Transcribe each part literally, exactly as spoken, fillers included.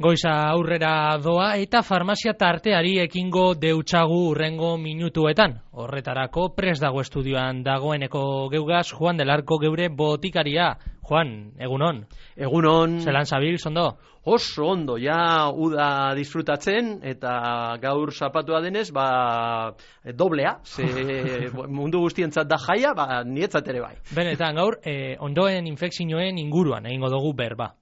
Goiza aurrera doa eta farmazia tarteari ekingo deutsagu urrengo minutuetan. Horretarako prest dago estudioan dagoeneko geugaz Juan del Arco geure botikaria. Juan, egunon. Egunon. Zelan zabil, zondo? Oso ondo, ja uda disfrutatzen eta gaur zapatua denez, ba, doblea, ze mundu guztientzat da jaia, ba, nietzat ere bai. Benetan, gaur, eh, ondoen infekzioen inguruan egingo dugu berba.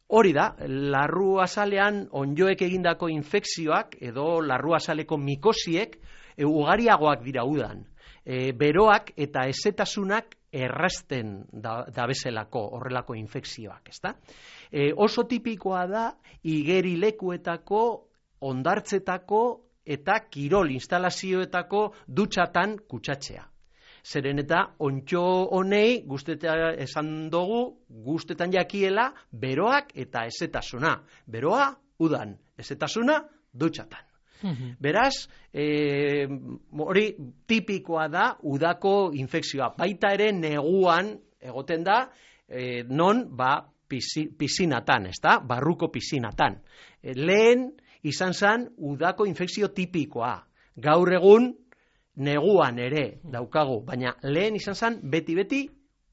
Hori da, larru azalean onjoek egindako infekzioak edo larru azaleko mikosiek e, ugariagoak dira udan. E, beroak eta ezetasunak errazten da, da bezalako horrelako infekzioak, ezta? E, oso tipikoa da igerilekuetako, ondartzetako eta kirol instalazioetako dutxatan kutsatzea. Zeren eta ontxo honei guztetan esan dugu, guztetan jakiela beroak eta ezetasuna. Beroa, udan, ezetasuna, dutxatan. Beraz, e, hori tipikoa da udako infekzioa. Baita ere neguan egoten da, e, non ba pisinatan, ezta? Barruko pisinatan. E, lehen izan zen udako infekzio tipikoa. Gaur egun neguan ere daukagu, baina lehen izan zen beti-beti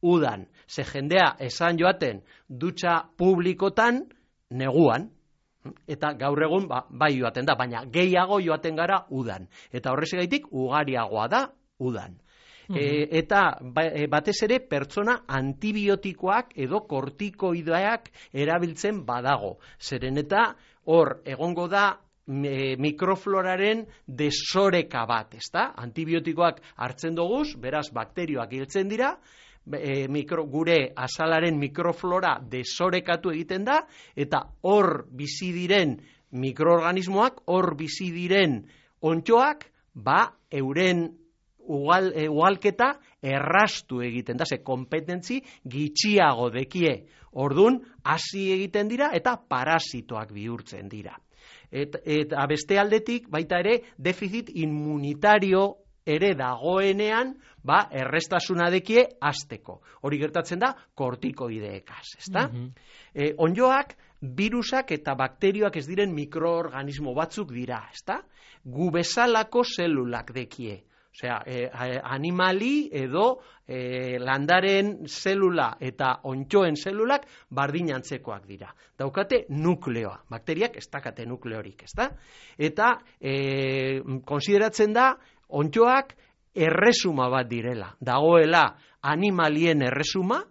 udan. Ze jendea esan joaten dutxa publikotan neguan. Eta gaur egun ba, bai joaten da, baina gehiago joaten gara udan. Eta horrezegaitik ugariagoa da udan. Mm-hmm. e, eta ba, e, batez ere pertsona antibiotikoak edo kortikoideak erabiltzen badago. Zeren eta hor egongo da e, mikrofloraren desoreka bat, ezta? Antibiotikoak hartzen doguz, beraz bakterioak hiltzen dira, E, mikro, gure azalaren mikroflora desorekatu egiten da, eta hor bizi diren mikroorganismoak, hor bizi diren ontxoak, ba, euren ugal, e, ugalketa errastu egiten da, ze kompetentzi gitxiago dekie. Ordun hasi egiten dira eta parasitoak bihurtzen dira. Eta et, beste aldetik, baita ere, defizit immunitario ere dagoenean, ba, errestasuna dekie hasteko. Hori gertatzen da kortikoideekaz, ezta? Mm-hmm. e, onjoak, virusak eta bakterioak ez diren mikroorganismo batzuk dira, ezta? Gu bezalako zelulak dekie. Osea, e, animali edo e, landaren zelula eta ontxoen zelulak bardinantzekoak dira. Daukate nukleoa. Bakteriak ez dakate nukleorik, ezta? Eta e, konsideratzen da ontxoak erresuma bat direla. Dagoela animalien erresuma,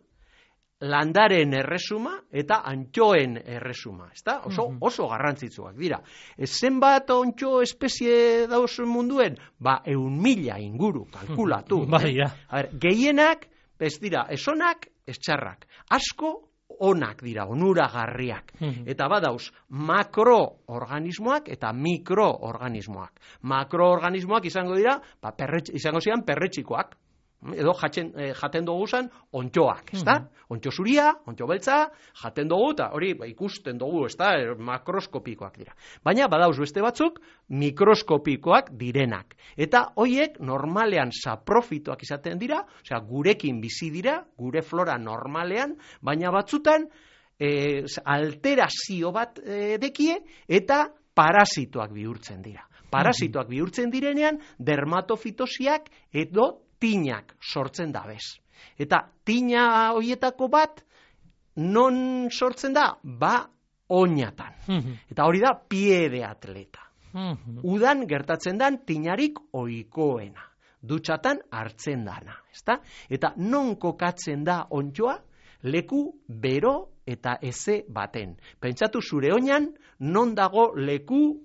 landaren erresuma eta antxoen erresuma. Ezta? Oso, oso garrantzitsuak dira. E, zenbat ontxo espezie dauz munduen? Ba, eun mila inguru, kalkulatu. Bai, ja. A ber, gehienak, ez dira, esonak, ez txarrak. Asko, onak dira, onuragarriak. Eta badauz, makroorganismoak eta mikroorganismoak. Makroorganismoak izango dira, ba, perretx, izango zian perretxikoak. Edo jaten, eh, jaten dugu zan ontxoak, ezta? Ontxo zuria, ontxo beltza, jaten dugu, eta hori ba, ikusten dugu, ezta? Makroskopikoak dira. Baina badauz beste batzuk, mikroskopikoak direnak. Eta hoiek normalean saprofitoak izaten dira, osea, gurekin bizi dira, gure flora normalean, baina batzutan eh, alterazio bat eh, dekie, eta parasitoak bihurtzen dira. Parasitoak bihurtzen direnean, dermatofitosiak edo tinak sortzen da bez. Eta tina horietako bat non sortzen da? Ba, oinatan. Eta hori da pie de atleta. Udan gertatzen dan tinarik ohikoena. Dutxatan hartzen dana, ezta? Eta non kokatzen da ontxoa? Leku bero eta eze baten. Pentsatu zure oinan non dago leku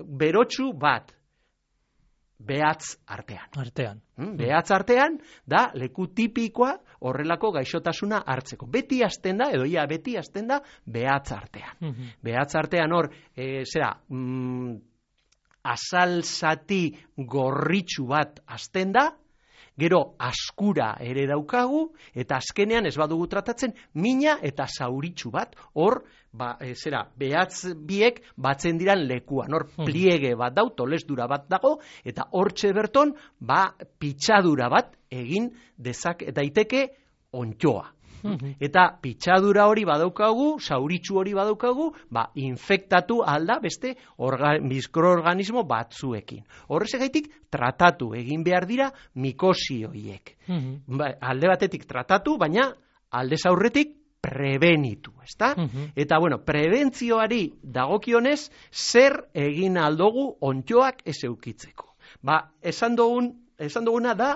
berotsu bat? Behatz artean. Artean. Hmm? Behatz artean da leku tipikoa horrelako gaixotasuna hartzeko. Beti hasten da, edo ia beti hasten da, behatz artean. Mm-hmm. Behatz artean hor, e, zera, mm, azal zati gorritxu bat hasten da, gero askura ere daukagu, eta azkenean ez badugu tratatzen, mina eta zauritxu bat, hor, ba, e, zera, behatz biek batzen diran lekuan, hor pliege bat dau, tolesdura bat dago, eta hortxe berton, ba, pitxadura bat egin dezak daiteke ontxoa. Eta pitxadura hori badaukagu, sauritxu hori badaukagu, ba, infektatu alda beste mikroorganismo batzuekin. Horrezegaitik tratatu egin behar dira mikosi horiek. Ba, alde batetik tratatu, baina aldez aurretik prebenitu, ezta? Eta, bueno, prebentzioari dagokionez, zer egin aldogu ontxoak ez eukitzeko. Ba, esan dugun, esan duguna da,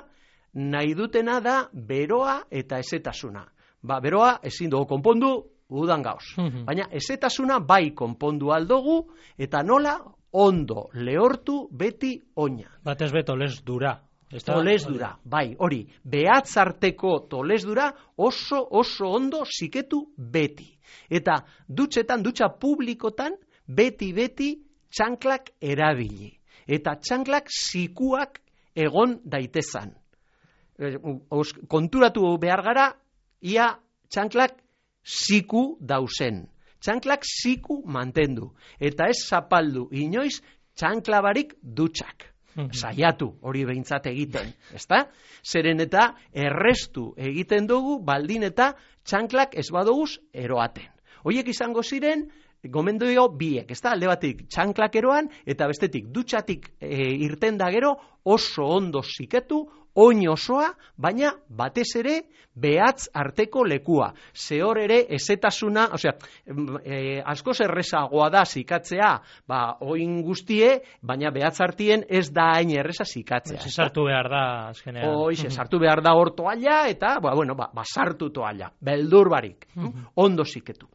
nahi dutena da beroa eta ezetasuna. Ba, beroa ezin dugu konpondu udan gauz. Baina ezetasuna bai konpondu aldogu eta nola ondo lehortu beti oina. Batez be tolezdura. Tolezdura, bai, hori. Behatzarteko tolezdura oso oso ondo ziketu beti. Eta dutxetan, dutxa publikotan, beti-beti txanklak erabili. Eta txanklak zikuak egon daitezan. Konturatu behar gara, ia txanklak ziku dauzen. Txanklak ziku mantendu. Eta ez zapaldu inoiz txanklabarik dutxak. Saiatu hori behintzat egiten, ezta? Zeren eta errestu egiten dugu baldin eta txanklak ez badoguz eroaten. Hoiek izango ziren gomendio biek, ezta? Alde batik txanklak eroan eta bestetik dutxatik e, irten da gero oso ondo ziketu, oin osoa, baina batez ere behatz arteko lekua. Zehor ere ezetasuna, osea, e, askoz errezagoa da zikatzea, ba, oin guztie, baina behatz artien ez da hain erreza zikatzea. Ez sartu behar da, azkenean. Hoiz, sartu behar da hor toalla, eta, ba, bueno, ba, ba sartu toalla, beldur barik, ondo ziketu.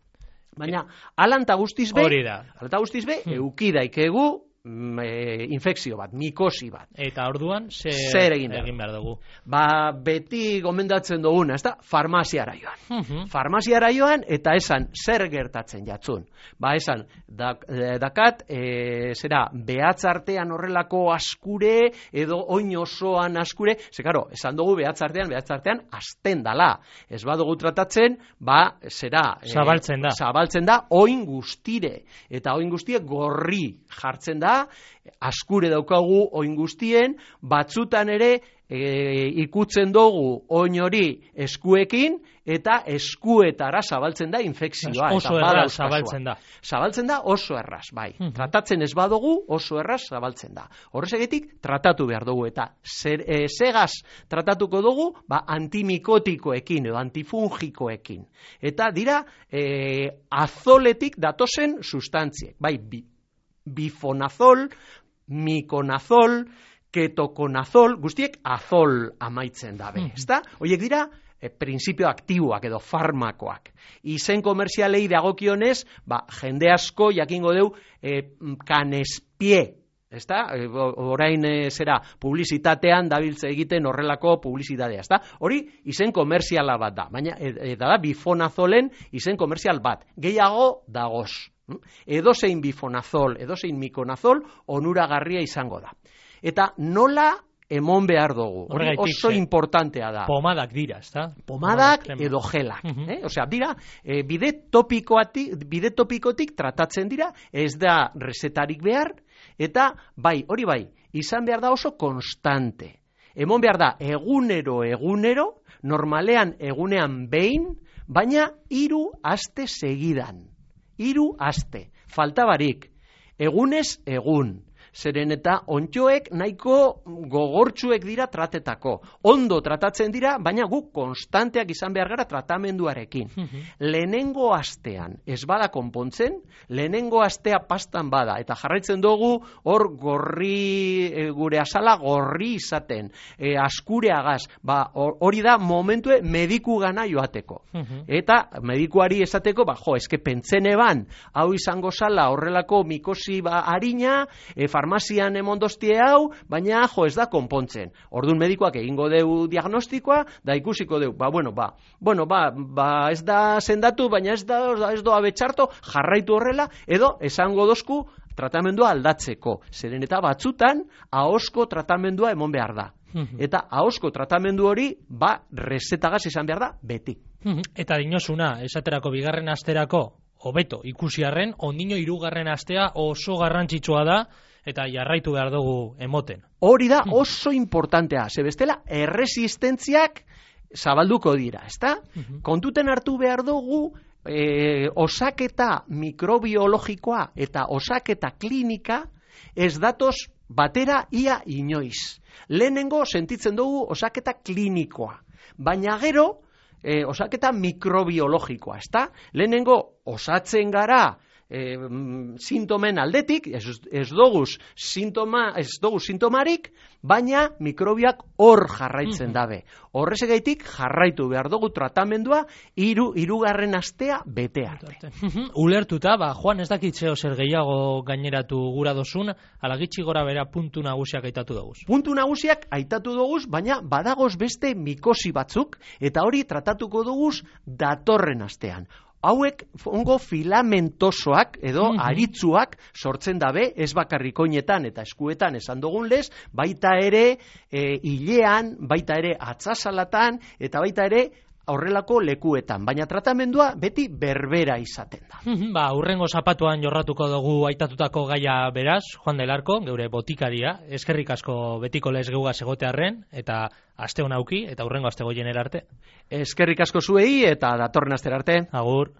Baina, alanta guztiz be, alanta guztiz be, eukidaikegu, E, infekzio bat, mikosi bat. Eta orduan, zer, zer egin, egin behar dugu? Ba, beti gomendatzen duguna, ez da, farmaziara joan. Uh -huh. Farmaziara joan, eta esan, zer gertatzen jatzun. Ba, esan, dak, dakat, e, zera, behatzartean horrelako askure, edo oin osoan askure, ze, karo, esan dugu behatzartean, behatzartean, azten dala. Ez badugu tratatzen, ba, zera, zabaltzen da. E, zabaltzen da, oin guztire. Eta oin guztie gorri jartzen da, askure daukagu oin guztien, batzutan ere e, ikutzen dugu oin hori eskuekin, eta eskuetara zabaltzen da infekzioa. Oso erraz zabaltzen da. Zabaltzen da oso erraz, bai. Uh -huh. Tratatzen ez badugu oso erraz zabaltzen da. Horrezegetik tratatu behar dugu, eta zer, e, segaz tratatuko dugu, ba, antimikotikoekin edo antifungikoekin. Eta dira, e, azoletik datozen sustantziek, bai, bi. Bifonazol, mikonazol, ketokonazol, guztiek azol amaitzen dabe, mm. ezta? Hoiek dira, e, printzipio aktiboak edo farmakoak. Izen komerzialei dagokionez, ba, jende asko jakingo deu e, kanespie, ezta? E, orain e, zera publizitatean dabiltze egiten horrelako publizitatea, ezta? Hori izen komerziala bat da, baina e, e, da bifonazolen izen komerzial bat. Gehiago dagoz. Edozein bifonazol, edozein mikonazol onuragarria izango da. Eta nola emon behar dugu. Hori oso importantea da. Pomadak dira, ezta? Pomadak edo gelak. Uh -huh. eh? Osea, dira, e, bide topikotik, bide topikotik tratatzen dira, ez da resetarik behar, eta bai, hori bai, izan behar da oso konstante. Emon behar da egunero, egunero, normalean egunean behin, baina hiru aste segidan. Hiru aste, faltabarik, egunez egun, zeren eta ontxoek nahiko gogortsuek dira tratetako. Ondo tratatzen dira, baina guk konstanteak izan behar gara tratamenduarekin. Uh-huh. Lehenengo astean ez bada konpontzen, lehenengo astea pastan bada, eta jarraitzen dugu hor gorri, e, gure azala gorri izaten, e, askureagaz, ba, hori da momentue mediku gana joateko. Uh-huh. Eta medikuari esateko, ba, jo, eske pentzen eban, hau izango zala horrelako mikosi ba, harina, e, farmazian emondostie hau, baina jo ez da konpontzen. Ordun medikoak egingo deu diagnostikoa, da ikusiko deu, ba, bueno, ba, bueno, ba, ba ez da sendatu, baina ez da, ez doa betxarto, jarraitu horrela, edo esango dozku tratamendua aldatzeko. Zeren eta batzutan, ahosko tratamendua emon behar da. Eta ahosko tratamendu hori, ba, rezetagaz izan behar da, beti. Eta dinosuna, esaterako bigarren asterako, hobeto ikusiarren, ondino hirugarren astea oso garrantzitsua da, eta jarraitu behar dugu emoten. Hori da oso importantea, ze bestela erresistentziak zabalduko dira, ezta? Kontuten hartu behar dugu e, osaketa mikrobiologikoa eta osaketa klinika ez datoz batera ia inoiz. Lehenengo sentitzen dugu osaketa klinikoa, baina gero e, osaketa mikrobiologikoa, ezta? Lehenengo osatzen gara E, sintomen aldetik, ez, ez doguz sintoma, ez doguz sintomarik, baina mikrobiak hor jarraitzen dabe. Horrezegaitik jarraitu behar dugu tratamendua hiru hirugarren astea bete arte. Ulertuta, ba, Juan, ez dakitzeo zer gehiago gaineratu gura dozun, ala gitxi gora bera puntu nagusiak aitatu doguz. Puntu nagusiak aitatu doguz, baina badagoz beste mikosi batzuk, eta hori tratatuko doguz datorren astean. Hauek ongo filamentosoak edo mm-hmm. aritzuak sortzen dabe, ez bakarrik oinetan eta eskuetan esan dugun lez, baita ere e, hilean, baita ere atzasalatan eta baita ere horrelako lekuetan, baina tratamendua beti berbera izaten da. Ba, urrengo zapatuan jorratuko dugu aitatutako gaia beraz, Juan del Arco, geure botikaria, eskerrik asko betiko lez geugaz egotearren, eta aste hon auki, eta urrengo aste goienera arte. Eskerrik asko zuei, eta datorren astera arte. Agur.